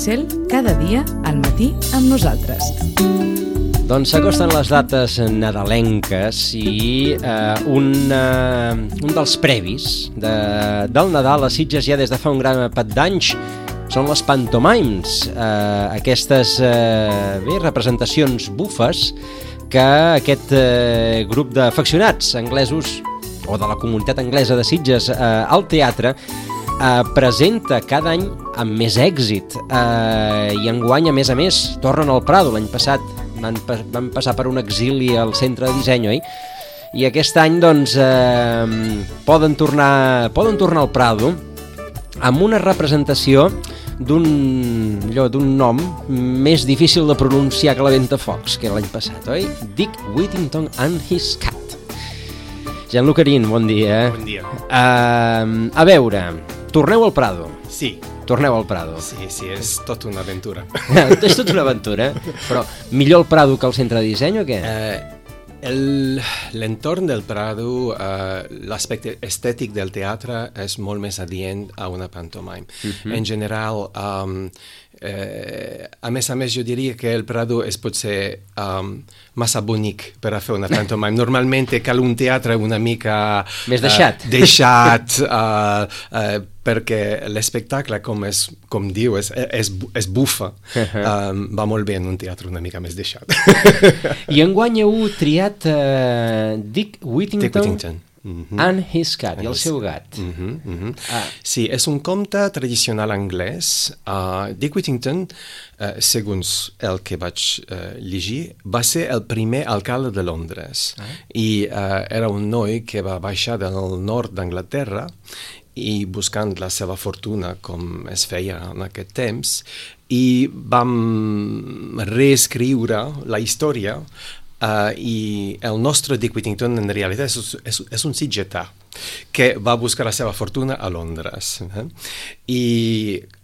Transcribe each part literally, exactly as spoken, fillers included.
Cel, cada dia al matí amb nosaltres. Doncs s'acosten les dates nadalenques i eh, un, eh, un dels previs de, del Nadal a Sitges ja des de fa un gran pat d'anys són les pantomimes, eh, aquestes eh, bé, representacions bufes que aquest eh, grup d'afeccionats anglesos o de la comunitat anglesa de Sitges eh, al teatre eh, presenta cada any amb més èxit eh, i enguany a més a més tornen al Prado. L'any passat van, van passar per un exili al centre de disseny, oi? I aquest any doncs eh, poden tornar, poden tornar al Prado amb una representació d'un allò, d'un nom més difícil de pronunciar que la Ventafocs, que era l'any passat, oi? Dick Whittington and His Cat. Jean-Luc Arín, bon dia. Bon dia. Uh, a veure, torneu al Prado. Sí. Torneu al Prado. Sí, sí, és tot una aventura. És tot una aventura, però millor el Prado que el centre de disseny o què? Eh, el, l'entorn del Prado, eh, l'aspecte estètic del teatre és molt més adient a una pantomime. Uh-huh. En general, um, eh, a més a més, jo diria que el Prado és potser um, massa bonic per a fer una pantomime. Normalment cal un teatre una mica... Més deixat. Uh, deixat, uh, uh, perquè l'espectacle, com, és, com diu, és, és, és bufa. Uh-huh. um, va molt bé en un teatre una mica més deixat. I enguany heu triat uh, Dick Whittington, Dick Whittington. Mm-hmm. and His Cat, i el seu gat. Mm-hmm, mm-hmm. Ah. Sí, és un conte tradicional anglès. Uh, Dick Whittington, uh, segons el que vaig uh, llegir, va ser el primer alcalde de Londres. Ah. I uh, era un noi que va baixar del nord d'Anglaterra i buscant la seva fortuna, com es feia en aquest temps, i vam reescriure la història. Uh, i el nostre Dick Whittington en realitat és, és, és un sitgetà que va buscar la seva fortuna a Londres, eh? I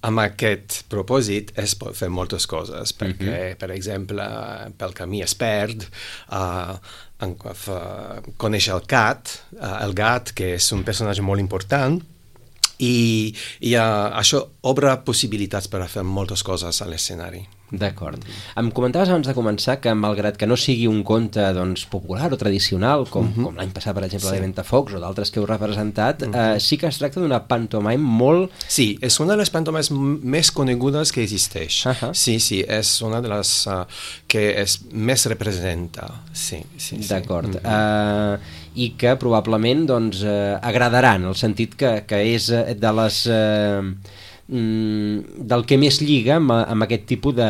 amb aquest propòsit es pot fer moltes coses, perquè, uh-huh. per exemple, pel camí es perd, uh, en, uh, coneix el gat, uh, el gat, que és un personatge molt important, i, i uh, això obre possibilitats per a fer moltes coses a l'escenari. D'acord. Em comentaves abans de començar que, malgrat que no sigui un conte doncs, popular o tradicional, com, uh-huh. com l'any passat, per exemple, sí. de Ventafocs o d'altres que heu representat, uh-huh. eh, sí que es tracta d'una pantomime molt... Sí, és una de les pantomimes més conegudes que existeix. Uh-huh. Sí, sí, és una de les uh, que es més representa. Sí, sí, sí. D'acord. Uh-huh. Uh, I que probablement doncs, uh, agradaran, en el sentit que, que és de les... Uh, del que més lliga amb, amb aquest tipus de,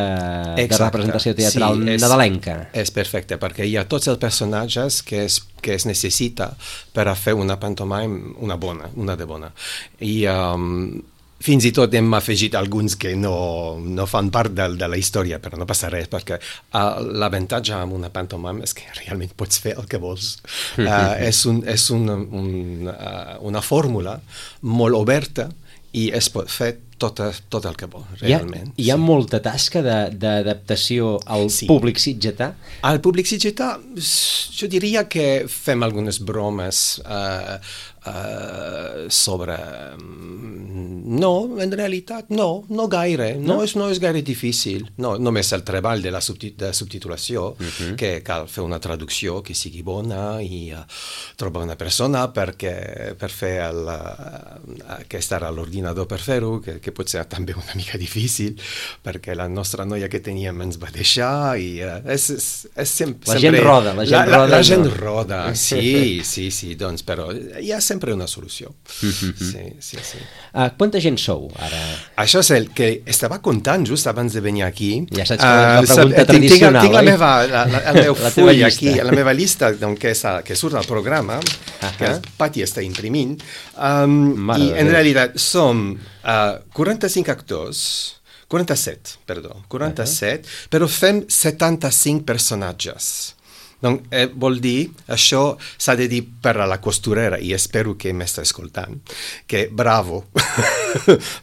de representació teatral sí, és, nadalenca. És perfecte, perquè hi ha tots els personatges que es, que es necessita per a fer una pantomime, una bona, una de bona. I um, fins i tot hem afegit alguns que no, no fan part de, de la història, però no passa res, perquè uh, l'avantatge amb una pantomime és que realment pots fer el que vols. Uh, és un, és un, un, uh, una fórmula molt oberta i es pot fer tot, tot el que vol, realment. Hi ha, hi ha sí. molta tasca de, d'adaptació al sí. públic sitgetà? Al públic sitgetà, jo diria que fem algunes bromes uh, uh, sobre... No, en realitat no, no gaire, no, no, és, no és gaire difícil. No, només el treball de la subtit- de subtitulació, uh-huh. que cal fer una traducció que sigui bona i uh, trobar una persona perquè, per fer el, uh, que estar a l'ordinador per fer-ho, que, que pot ser també una mica difícil, perquè la nostra noia que teníem ens va deixar i uh, és, és, és sempre... La gent roda, la gent la, roda. La, la no? gent roda, sí, sí, sí, doncs, però hi ha sempre una solució. Uh-huh. Sí, sí, sí. Uh, quanta gent sou, ara? Això és el que estava contant just abans de venir aquí. Ja saps que uh, la pregunta tinc, tradicional, tinc, tinc la meva, la, la, el meu la full aquí, la meva llista doncs, que, és, que surt al programa, uh-huh. que el Pati està imprimint, um, i en realitat som uh, quaranta-cinc actors, quaranta-set, perdó, quaranta-set, uh-huh. però fem setanta-cinc personatges. Donc, eh, vol dir, això s'ha de dir per a la costurera, i espero que m'està escoltant, que bravo,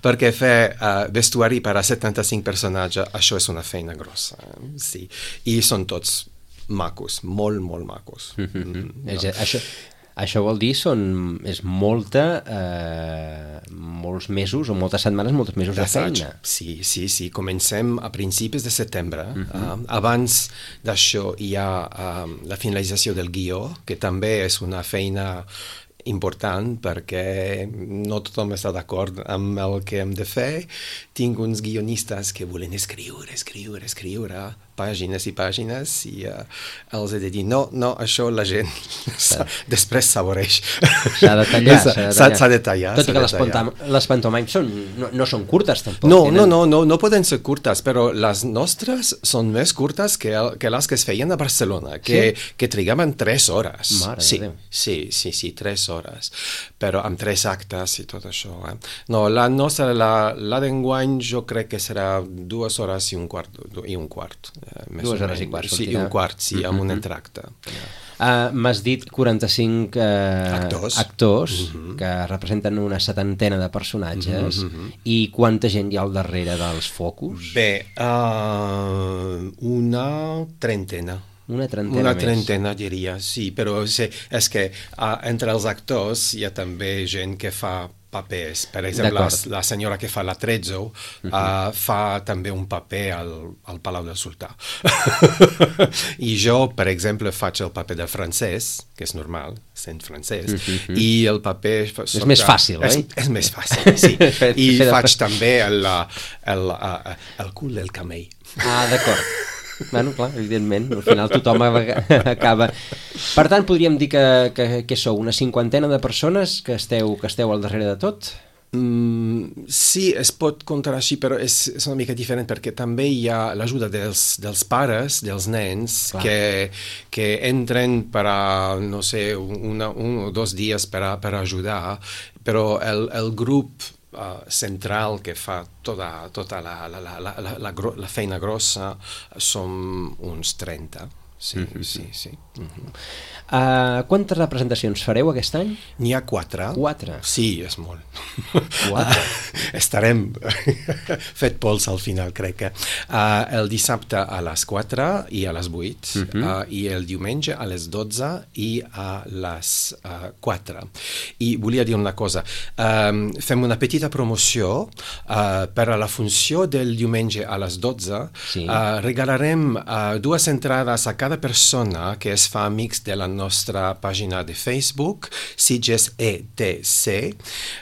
perquè fer uh, vestuari per a setanta-cinc personatges, això és una feina grossa, eh? Sí. I són tots macos, molt, molt macos. Mm-hmm. Mm-hmm. No. Això, això vol dir són, és molta, eh, molts mesos o moltes setmanes, molts mesos de feina. Sí, sí, sí. Comencem a principis de setembre. Uh-huh. uh, abans d'això hi ha uh, la finalització del guió, que també és una feina important perquè no tothom està d'acord amb el que hem de fer. Tinc uns guionistes que volen escriure, escriure, escriure pàgines i pàgines i uh, els he de dir no, no, això la gent després s'avoreix. S'ha de tallar, s'ha de tallar. S'ha de tallar. Tot i que les, pantom les pantomimes són, no, no són curtes tampoc. No, tenen... no, no, no, no poden ser curtes, però les nostres són més curtes que, el, que les que es feien a Barcelona, que, sí? que trigaven tres hores. Mare sí, de Déu. sí, sí, sí, tres hores, però amb tres actes i tot això. Eh? No, la nostra, la, la d'enguany jo crec que serà dues hores i un quart. I un quart eh, dues hores i quart. Sí, i un quart, sí, amb un entracte. Uh, M'has dit quaranta-cinc uh, actors, actors uh -huh. que representen una setantena de personatges. Uh -huh. I quanta gent hi ha al darrere dels focus? Bé, uh, una trentena. Una trentena Una més. trentena, diria, sí, però sí, és que uh, entre els actors hi ha també gent que fa papers. Per exemple, la, la senyora que fa la Trezzo uh, uh, fa també un paper al, al Palau del Sultà. I jo, per exemple, faig el paper del francès, que és normal, sent francès, uh -huh. i el paper... És soc, més fàcil, és, oi? És més fàcil, sí. I faig també el, el, el, el cul del camell. Ah, d'acord. Bueno, clar, evidentment, al final tothom acaba... Per tant, podríem dir que, que, que sou una cinquantena de persones que esteu, que esteu al darrere de tot? Mm, sí, es pot comptar així, però és, és una mica diferent perquè també hi ha l'ajuda dels, dels pares, dels nens, que, que entren per a, no sé, una, un o dos dies per, a, per ajudar, però el, el grup Uh, central que fa tota, tota la, la, la, la, la, la, la feina grossa som uns trenta. Sí, mm-hmm. sí, sí. Mm-hmm. Uh, quantes representacions fareu aquest any? N'hi ha quatre. Quatre? Sí, és molt. Quatre. Uh, estarem fet pols al final, crec que. Uh, el dissabte a les quatre i a les vuit, mm-hmm. uh, i el diumenge a les dotze i a les uh, quatre. I volia dir una cosa. Um, fem una petita promoció uh, per a la funció del diumenge a les dotze. Sí. Uh, regalarem uh, dues entrades a cada persona que es fa amics de la nostra pàgina de Facebook, Sitges E T C.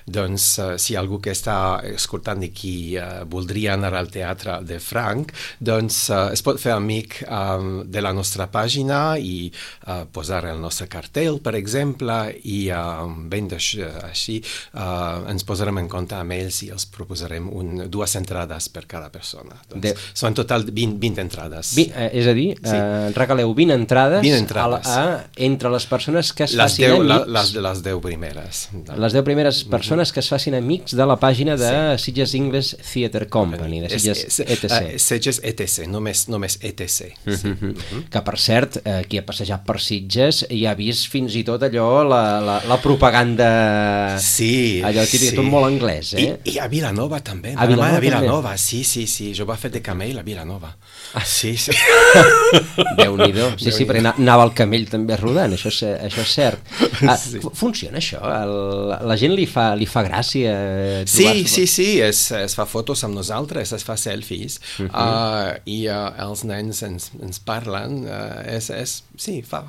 Doncs, uh, si algú que està escoltant aquí uh, voldria anar al teatre de Franc, doncs uh, es pot fer amic um, de la nostra pàgina i uh, posar el nostre cartell, per exemple, i uh, ben així uh, ens posarem en compte amb ells i els proposarem un, dues entrades per cada persona. Doncs, de... Són en total vint, vint entrades. Vi, eh, és a dir, sí. eh, regaleu vint entrades, vint entrades. A, a, entre les persones que es les facin deu, amics. La, les, les deu primeres. Les deu primeres persones que es facin amics de la pàgina de sí. Sitges English Theatre Company, de Sitges E T C. Uh, Sitges E T C, només, només E T C. Uh -huh. sí. uh -huh. Que, per cert, eh, qui ha passejat per Sitges i ha vist fins i tot allò, la, la, la propaganda... Sí, allò típic, sí. tot molt anglès, eh? I, i a Vilanova també. A Vilanova, a Vilanova, sí, sí, sí. Jo vaig fer de camell a Vilanova. Ah. Sí, sí. Déu-n'hi-do. Sí, sí, perquè anava el camell també rodant, això és, això és cert. Ah, sí. Funciona això? El, la gent li fa, li fa gràcia? Sí, sí, sí, es, es fa fotos amb nosaltres, es fa selfies, uh -huh. uh, i uh, els nens ens, ens parlen, uh, és, és, sí, fa,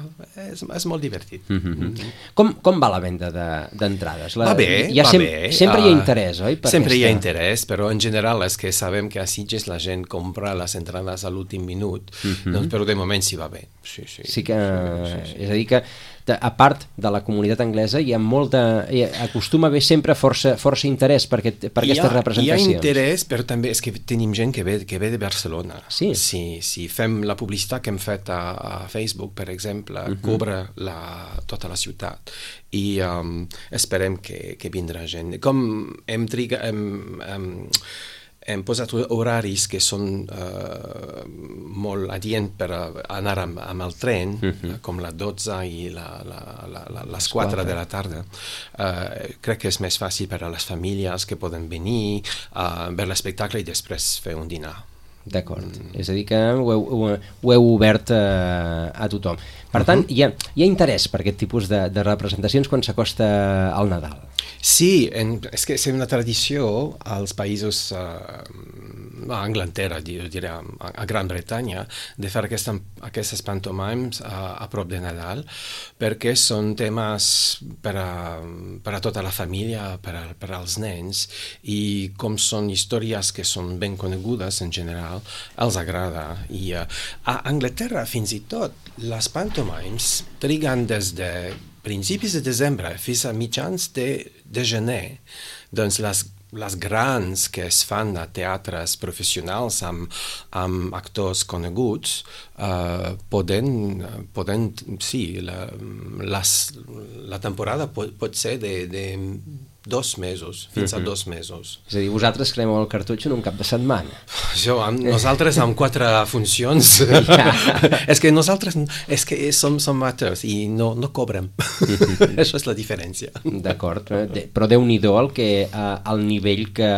és, és molt divertit. Uh -huh. Uh -huh. Com, com va la venda d'entrades? De, va bé, hi ha va sem bé. Sempre uh, hi ha interès, oi? Per sempre aquesta... hi ha interès, però en general és que sabem que a Sitges la gent compra les entrades a l'últim minut, uh -huh. doncs, però de moment sí va bé. Sí, sí, sí que, sí, sí. És a dir que a part de la comunitat anglesa hi ha molta, hi ha, acostuma a haver sempre força, força interès per, aquest, per aquestes ha, representacions. Hi ha interès, però també és que tenim gent que ve, que ve de Barcelona. Sí? Sí, sí, fem la publicitat que hem fet a, a Facebook, per exemple, uh -huh. cobre la, tota la ciutat i um, esperem que, que vindrà gent. Com hem trigat... Hem, hem, hem posat horaris que són uh, molt adient per anar amb, amb el tren, uh -huh. com la dotze i la, la, la, la, les quatre de la tarda. Uh, crec que és més fàcil per a les famílies que poden venir a uh, veure l'espectacle i després fer un dinar. D'acord, mm. és a dir que ho heu, ho heu obert a, a tothom. Per tant, hi ha, hi ha interès per aquest tipus de, de representacions quan s'acosta al Nadal. Sí, en, és que és una tradició als països, uh, a Anglaterra, diré, a, a Gran Bretanya, de fer aquesta, aquestes pantomimes a, a prop de Nadal, perquè són temes per a, per a tota la família, per, a, per als nens, i com són històries que són ben conegudes en general, els agrada. I uh, a Anglaterra, fins i tot, les pantomimes triguen des de principis de desembre fins a mitjans de, de gener. Doncs les, les grans que es fan a teatres professionals amb, amb actors coneguts uh, poden, poden, sí, la, les, la temporada pot, pot ser de, de dos mesos, fins a dos mesos. És a dir, vosaltres cremeu el cartutxo en un cap de setmana. Jo, amb, nosaltres amb quatre funcions. Ja. És que nosaltres és que som, som amateurs i no, no cobrem. Això és la diferència. D'acord, però Déu-n'hi-do el, que, eh, el nivell que...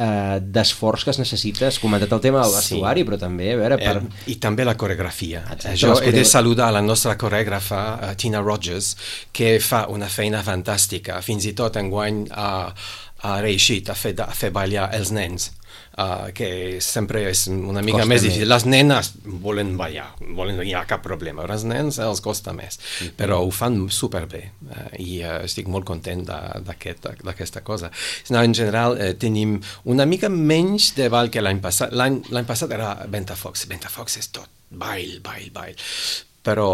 Uh, d'esforç que es necessita. Has comentat el tema del vestuari, sí. Però també a veure, per... eh, i també la coreografia. Exacte, jo he de saludar la nostra coreògrafa uh, Tina Rogers, que fa una feina fantàstica, fins i tot enguany ha, ha reeixit a fer, a fer ballar els nens, uh, que sempre és una mica costa més difícil. Les nenes volen ballar, volen, no hi ha cap problema, els nens els costa més, mm-hmm. però ho fan superbé, uh, i uh, estic molt content d'aquesta aquest, cosa. No, en general eh, tenim una mica menys de ball que l'any passat. L'any passat era Ventafocs. Ventafocs és tot ball, ball, ball. Però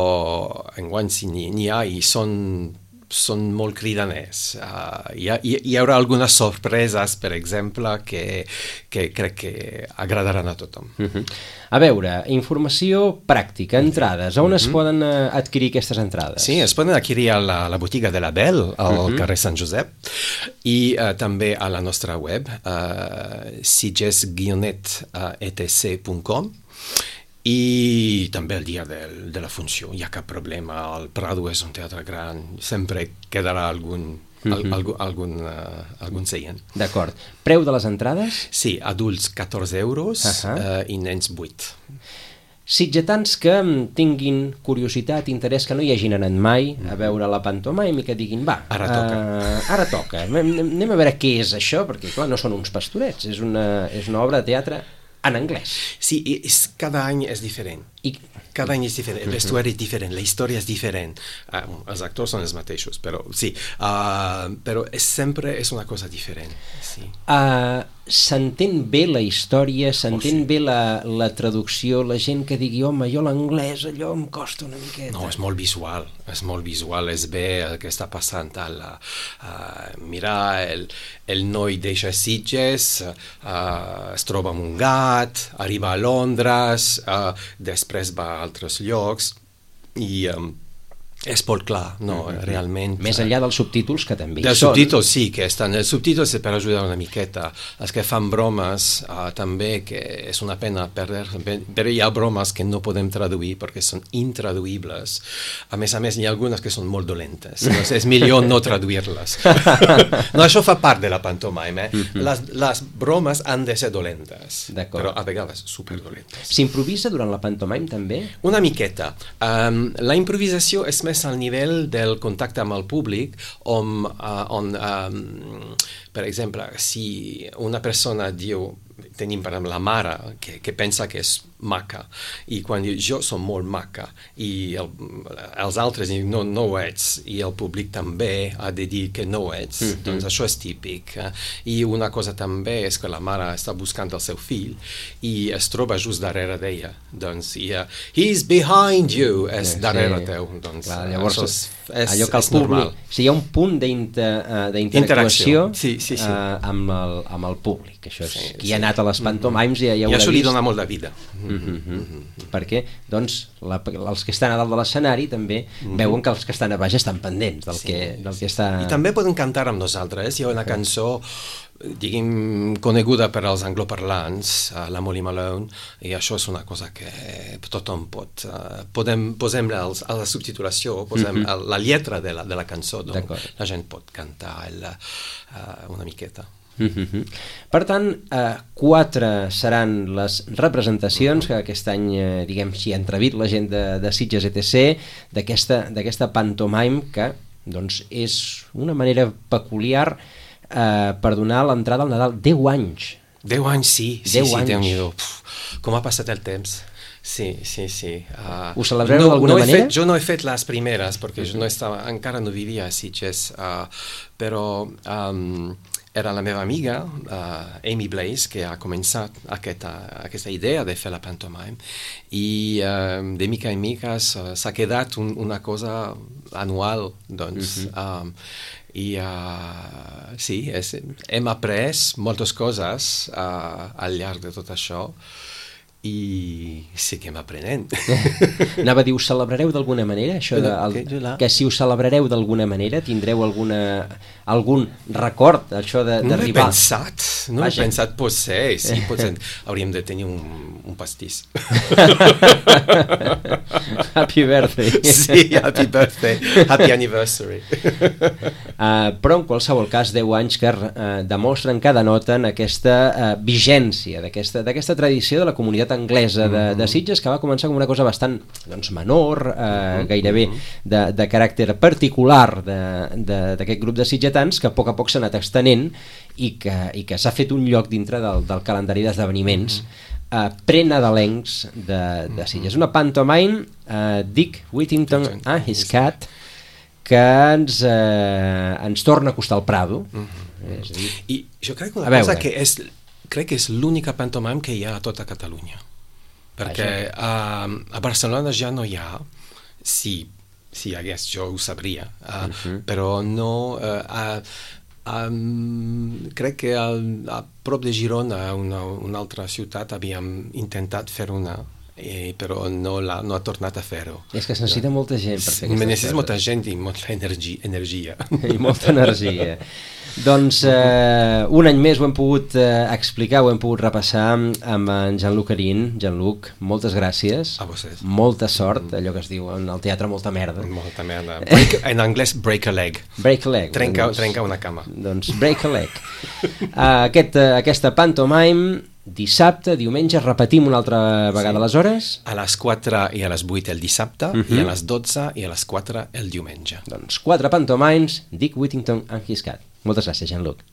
enguany sí n'hi ha i són són molt cridaners. Uh, hi, ha, hi haurà algunes sorpreses, per exemple, que, que crec que agradaran a tothom. Uh-huh. A veure, informació pràctica, entrades. On uh-huh. es poden uh, adquirir aquestes entrades? Sí, es poden adquirir a la, la botiga de la Belle, al uh-huh. carrer Sant Josep, i uh, també a la nostra web, uh, sitges guionet e te ce punt com. I també el dia de, de la funció, hi ha cap problema, el Prado és un teatre gran, sempre quedarà algun, mm-hmm. al, algun, algun, uh, algun seient. D'acord. Preu de les entrades? Sí, adults catorze euros uh-huh. uh, i nens vuit. Sitgetans que tinguin curiositat, interès, que no hi hagin anat mai mm-hmm. a veure la pantomima i que diguin, va, ara toca, uh, ara toca. Anem a veure què és això, perquè clar, no són uns pastorets, és una, és una obra de teatre en anglès. Sí, és, cada any és diferent. I... Cada any és diferent, el vestuari és diferent, la història és diferent. Uh, els actors són els mateixos, però sí. Uh, però és, sempre és una cosa diferent. Sí. Uh, s'entén bé la història, s'entén oh, sí. bé la, la traducció, la gent que digui, home, jo l'anglès, allò em costa una miqueta. No, és molt visual, és molt visual, és bé el que està passant. El, uh, mira, el, el noi deixa Sitges, uh, es troba amb un gat, arriba a Londres, uh, després va a altres llocs i um, és molt clar, no, mm-hmm. realment. Més enllà dels subtítols, que també hi dels són. subtítols sí que estan, els subtítols és per ajudar una miqueta, els que fan bromes uh, també, que és una pena perdre, però hi ha bromes que no podem traduir perquè són intraduïbles, a més a més hi ha algunes que són molt dolentes, doncs és millor no traduir-les. No, això fa part de la pantomima, eh? Mm-hmm. les, les bromes han de ser dolentes, però a vegades superdolentes. S'improvisa durant la pantomima també? Una miqueta. Um, la improvisació és més al nivell del contacte amb el públic, on, uh, on um, per exemple, si una persona diu, tenim per exemple la mare que, que pensa que és maca, i quan diu jo som molt maca, i el, els altres diuen no, no ho ets, i el públic també ha de dir que no ho ets, mm-hmm. doncs això és típic. Eh? I una cosa també és que la mare està buscant el seu fill i es troba just darrere d'ella, doncs i, uh, he's behind you, és sí, darrere sí. teu, doncs clar, llavors és, és, allò que el públic, normal. O sigui, hi ha un punt d'interactuació sí, sí, sí. uh, amb, el, amb el públic, això és, sí, qui sí. ha anat a les pantomimes ja, ja ho I això li vist. dona molt de vida. Mm-hmm. Mm-hmm. Perquè doncs, la, els que estan a dalt de l'escenari també mm-hmm. veuen que els que estan a baix estan pendents del, sí, que, del sí. que està... I també poden cantar amb nosaltres. Hi ha una cançó diguem, coneguda per als angloparlants, uh, la Molly Malone, i això és una cosa que tothom pot... Uh, podem, posem els, a la subtitulació, posem mm-hmm. la lletra de la, de la cançó, doncs la gent pot cantar el, uh, una miqueta. Mm-hmm. Per tant, eh, quatre seran les representacions que aquest any, eh, diguem, s'hi ha entrevit la gent de, de Sitges E T C d'aquesta d'aquesta pantomime que doncs, és una manera peculiar eh, per donar l'entrada al Nadal. Deu anys. Deu anys, sí. sí, Deu sí, anys. Déu-n'hi-do. Puf, com ha passat el temps. Sí, sí, sí. Uh, Ho celebreu no, d'alguna no manera? Fet, jo no he fet les primeres, perquè jo no estava, encara no vivia a Sitges, uh, però um, era la meva amiga, uh, Amy Blaze, que ha començat aquesta, aquesta idea de fer la pantomime, i uh, de mica en mica s'ha quedat un, una cosa anual, doncs. Uh-huh. um, I uh, sí, és, hem après moltes coses uh, al llarg de tot això, i seguim aprenent. Anava a dir, us celebrareu d'alguna manera? Això de, el, que, que si us celebrareu d'alguna manera, tindreu alguna, algun record, això d'arribar... No he pensat, no Vaja. he pensat, potser, sí, potser hauríem de tenir un, un pastís. Happy birthday. Sí, happy birthday, happy anniversary. Uh, però en qualsevol cas, deu anys que uh, demostren que denoten aquesta uh, vigència d'aquesta d'aquesta tradició de la comunitat anglesa de, de Sitges, que va començar com una cosa bastant doncs, menor, uh, gairebé de, de caràcter particular d'aquest grup de sitgetans, que a poc a poc s'ha anat extenent i que, i que s'ha fet un lloc dintre del, del calendari d'esdeveniments uh, prenadalencs de, de Sitges. Una pantomime, uh, Dick Whittington and his cat, que ens, eh, ens torna a costar el Prado. Mm-hmm. És a dir, I jo crec que una a cosa veure. que és, crec que és l'única pantomime que hi ha a tota Catalunya. Perquè a, a Barcelona ja no hi ha, si, si hi hagués jo ho sabria, uh, uh-huh. però no... Uh, uh, um, crec que al, a prop de Girona, una, una altra ciutat, havíem intentat fer una, Eh, però no, la, no ha tornat a fer-ho. És que es necessita molta gent per fer aquesta Necessita cosa. molta gent i molta energia. energia. I molta energia. Doncs eh, un any més ho hem pogut eh, explicar, ho hem pogut repassar amb en Jean-Luc Arín. Jean-Luc, moltes gràcies. A vostès. Molta sort, allò que es diu en el teatre, molta merda. Molta merda. Break, en anglès, break a leg. Break a leg. Trenca, doncs, trenca una cama. Doncs break a leg. uh, aquest, uh, aquesta pantomime, dissabte, diumenge, repetim una altra vegada sí. les hores? A les quatre i a les vuit el dissabte, uh-huh. i a les dotze i a les quatre el diumenge. Doncs quatre pantomimes, Dick Whittington and his cat. Moltes gràcies, Jean-Luc.